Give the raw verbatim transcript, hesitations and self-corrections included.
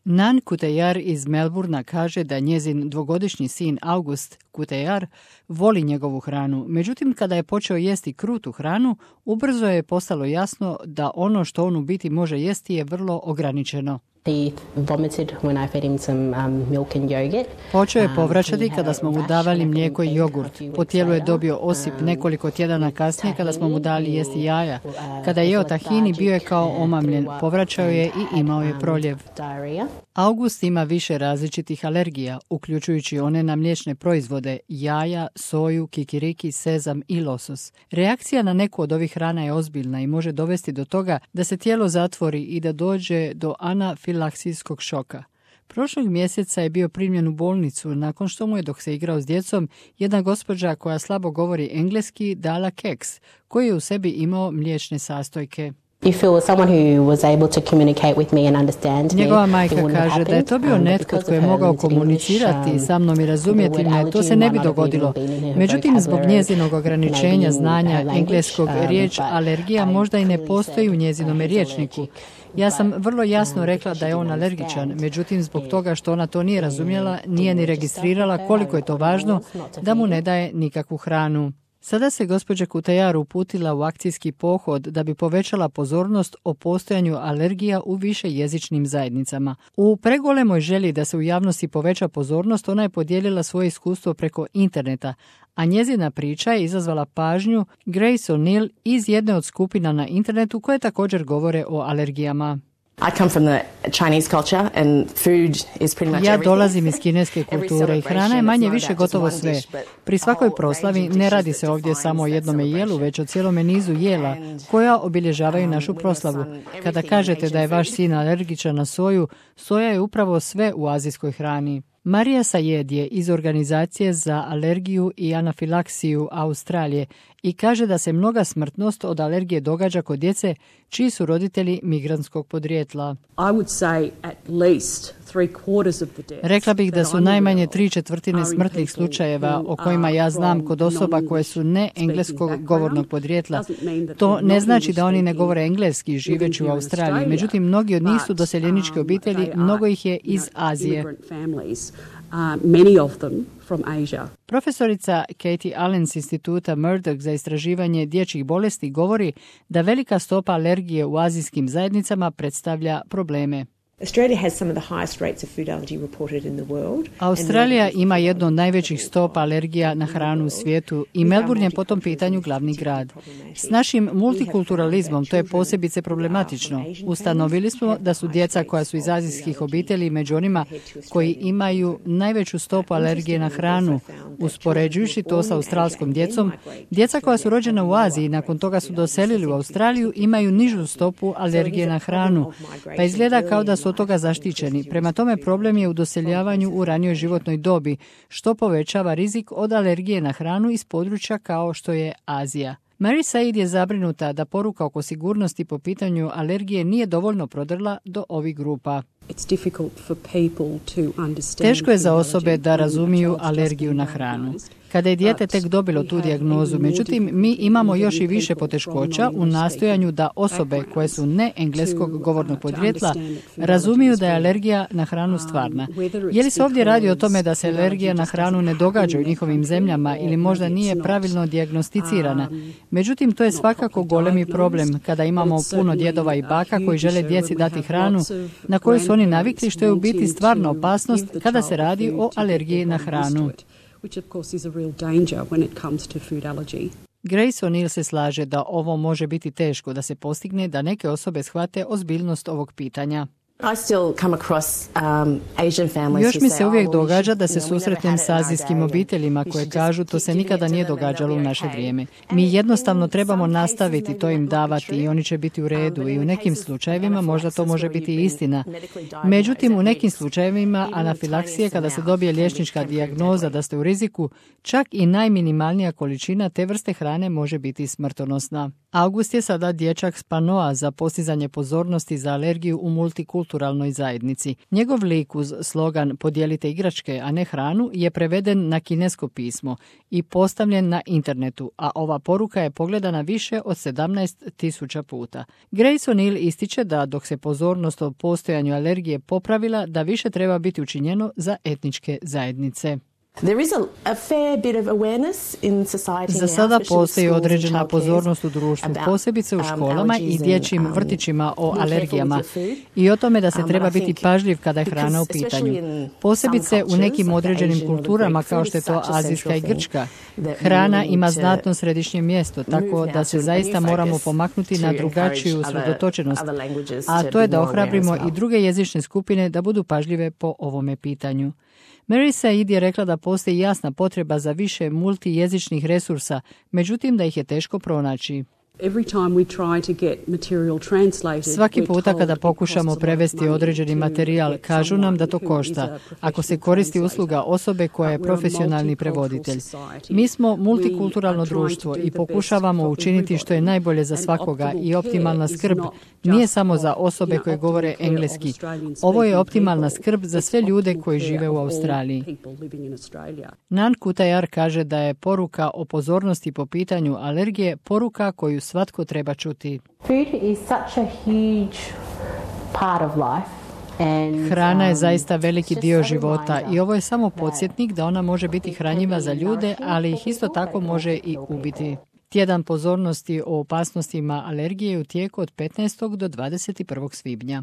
Nan Kutejar iz Melburna kaže da njezin dvogodišnji sin August Kutejar voli njegovu hranu. Međutim, kada je počeo jesti krutu hranu, ubrzo je postalo jasno da ono što on u biti može jesti je vrlo ograničeno. Počeo je povraćati kada smo mu davali mlijeko i jogurt. Po tijelu je dobio osip nekoliko tjedana kasnije kada smo mu dali jesti jaja. Kada je jeo tahini, bio je kao omamljen. Povraćao je i imao je proljev. August ima više različitih alergija, uključujući one na mliječne proizvode, jaja, soju, kikiriki, sezam i losos. Reakcija na neku od ovih hrana je ozbiljna i može dovesti do toga da se tijelo zatvori i da dođe do anafilaksijskog šoka. Prošlog mjeseca je bio primljen u bolnicu nakon što mu je, dok se igrao s djecom, jedna gospođa koja slabo govori engleski dala keks koji je u sebi imao mliječne sastojke. Njegova majka kaže da je to bio netko tko je mogao komunicirati sa mnom i razumjeti me, to se ne bi dogodilo. Međutim, zbog njezinog ograničenja znanja engleskog, riječ alergija možda i ne postoji u njezinome rječniku. Ja sam vrlo jasno rekla da je on alergičan, međutim zbog toga što ona to nije razumjela, nije ni registrirala koliko je to važno da mu ne daje nikakvu hranu. Sada se gospođa Kutejar uputila u akcijski pohod da bi povećala pozornost o postojanju alergija u više jezičnim zajednicama. U pregolemoj želji da se u javnosti poveća pozornost, ona je podijelila svoje iskustvo preko interneta, a njezina priča je izazvala pažnju Grace O'Neill iz jedne od skupina na internetu koje također govore o alergijama. Ja dolazim iz kineske kulture i hrana je manje više gotovo sve. Pri svakoj proslavi ne radi se ovdje samo o jednome jelu, već o cijelome nizu jela koja obilježavaju našu proslavu. Kada kažete da je vaš sin alergičan na soju, soja je upravo sve u azijskoj hrani. Marija Sayed je iz Organizacije za alergiju i anafilaksiju Australije i kaže da se mnoga smrtnost od alergije događa kod djece čiji su roditelji migrantskog podrijetla. Rekla bih da su najmanje tri četvrtine smrtnih slučajeva o kojima ja znam kod osoba koje su ne engleskog govornog podrijetla. To ne znači da oni ne govore engleski živeći u Australiji, međutim mnogi od njih su doseljeničke obitelji, mnogo ih je iz Azije. Uh, many of them from Asia. Profesorica Katie Allen s instituta Murdoch za istraživanje dječjih bolesti govori da velika stopa alergije u azijskim zajednicama predstavlja probleme. Australija ima jednu od najvećih stopa alergija na hranu u svijetu i Melbourne je po tom pitanju glavni grad. S našim multikulturalizmom to je posebice problematično. Ustanovili smo da su djeca koja su iz azijskih obitelji među onima koji imaju najveću stopu alergije na hranu. Uspoređujući to sa australskom djecom, djeca koja su rođena u Aziji i nakon toga su doselili u Australiju imaju nižu stopu alergije na hranu, pa izgleda kao da su od toga zaštićeni. Prema tome problem je u doseljavanju u ranijoj životnoj dobi, što povećava rizik od alergije na hranu iz područja kao što je Azija. Mary Said je zabrinuta da poruka oko sigurnosti po pitanju alergije nije dovoljno prodrla do ovih grupa. Teško je za osobe da razumiju alergiju na hranu. Kada je dijete tek dobilo tu dijagnozu, međutim, mi imamo još i više poteškoća u nastojanju da osobe koje su ne engleskog govornog podrijetla razumiju da je alergija na hranu stvarna. Je li se ovdje radi o tome da se alergija na hranu ne događa u njihovim zemljama ili možda nije pravilno dijagnosticirana? Međutim, to je svakako golemi problem kada imamo puno djedova i baka koji žele djeci dati hranu na koju su oni navikli, što je u biti stvarna opasnost kada se radi o alergiji na hranu. Which of course is a real danger when it comes to food allergy. Grace O'Neill se slaže da ovo može biti teško da se postigne da neke osobe shvate ozbiljnost ovog pitanja. Još mi se uvijek događa da se susretnem s azijskim obiteljima koje kažu to se nikada nije događalo u naše vrijeme. Mi jednostavno trebamo nastaviti to im davati i oni će biti u redu i u nekim slučajevima možda to može biti istina. Međutim, u nekim slučajevima anafilaksije kada se dobije liječnička dijagnoza da ste u riziku, čak i najminimalnija količina te vrste hrane može biti smrtonosna. August je sada dječak s panoa za postizanje pozornosti za alergiju u multikulturalnoj zajednici. Njegov lik uz slogan "Podijelite igračke, a ne hranu" je preveden na kinesko pismo i postavljen na internetu, a ova poruka je pogledana više od sedamnaest tisuća puta. Grace O'Neill ističe da dok se pozornost o postojanju alergije popravila, da više treba biti učinjeno za etničke zajednice. Za sada postoji određena pozornost u društvu, posebice u školama i dječjim vrtićima o alergijama i o tome da se treba biti pažljiv kada je hrana u pitanju. Posebice u nekim određenim kulturama kao što je to azijska i grčka. Hrana ima znatno središnje mjesto, tako da se zaista moramo pomaknuti na drugačiju usredotočenost, a to je da ohrabrimo i druge jezične skupine da budu pažljive po ovome pitanju. Mary Said je rekla da postoji jasna potreba za više multijezičnih resursa, međutim da ih je teško pronaći. Svaki puta kada pokušamo prevesti određeni materijal, kažu nam da to košta, ako se koristi usluga osobe koja je profesionalni prevoditelj. Mi smo multikulturalno društvo i pokušavamo učiniti što je najbolje za svakoga i optimalna skrb nije samo za osobe koje govore engleski. Ovo je optimalna skrb za sve ljude koji žive u Australiji. Nan Kutajar kaže da je poruka o pozornosti po pitanju alergije poruka koju svatko treba čuti. Hrana je zaista veliki dio života i ovo je samo podsjetnik da ona može biti hranjiva za ljude, ali ih isto tako može i ubiti. Tjedan pozornosti o opasnostima alergije je u tijeku od petnaestog do dvadeset prvog svibnja.